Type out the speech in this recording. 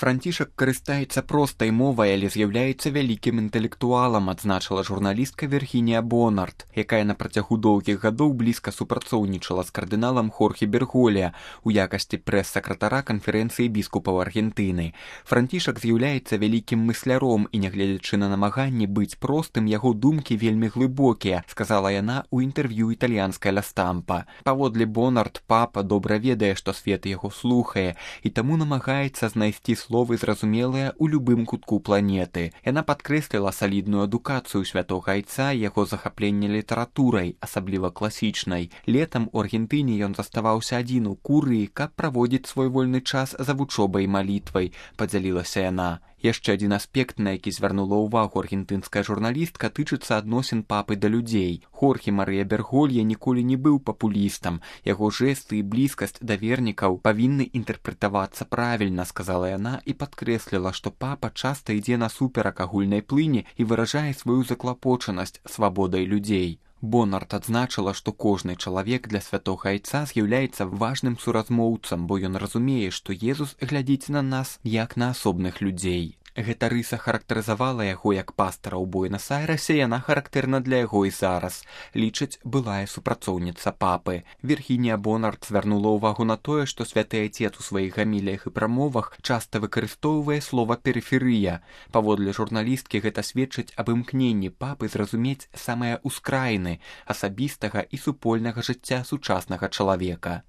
Францішак карыстаецца простай мовай, але з'яўляецца вялікім інтэлектуалам, адзначыла журналістка Віргінія Бонард, якая на працягу доўгіх гадоў блізка супрацоўнічала з кардыналам Хорхе Берголья у якасці прэс-сакратара канферэнцыі біскупаў Аргентыны. Францішак з'яўляецца вялікім мысляром і, нягледзячы на намаганні быць простым, яго думкі вельмі глыбокія, сказала яна ў інтэрв'ю італьянскай Ля Стампа. Паводле Бонард, папа добра ведае, што свет яго слухае, і таму намагаецца знайсці словы зразумелыя ў любым кутку планеты. Яна падкрэсліла салідную адукацыю святога айца і яго захапленне літаратурай, асабліва класічнай. Летам у Аргентыне ён заставаўся адзін у курыі, каб праводзіць свой вольны час за вучобай і малітвай, падзялілася яна. Яшчэ адзін аспект, на які звярнула ўвагу аргентынская журналістка, тычыцца адносін папы да людзей. Хорхе Марыя Берголья ніколі не быў папулістам. Яго жэсты і блізкасць да вернікаў павінны інтэрпрэтавацца правільна, сказала яна і падкрэсліла, што папа часта ідзе насуперак агульнай плыні і выражае сваю заклапочанасць свабодай людзей. Бонард адзначыла, што кожны чалавек для святога айца з'яўляецца важным суразмоўцам, бо ён разумее, што Езус глядзіць на нас як на асобных людзей. Гэта рыса характарызавала яго як пастара ў Буэнас-Айрэсе, яна характэрна для яго і зараз, лічыць былая супрацоўніца папы. Віргінія Бонард звярнула ўвагу на тое, што святы айцец у сваіх гаміліях і прамовах часта выкарыстоўвае слова «перыферыя». Паводле журналісткі гэта сведчыць аб імкненні папы зразумець самыя ўскраіны асабістага і супольнага жыцця сучаснага чалавека.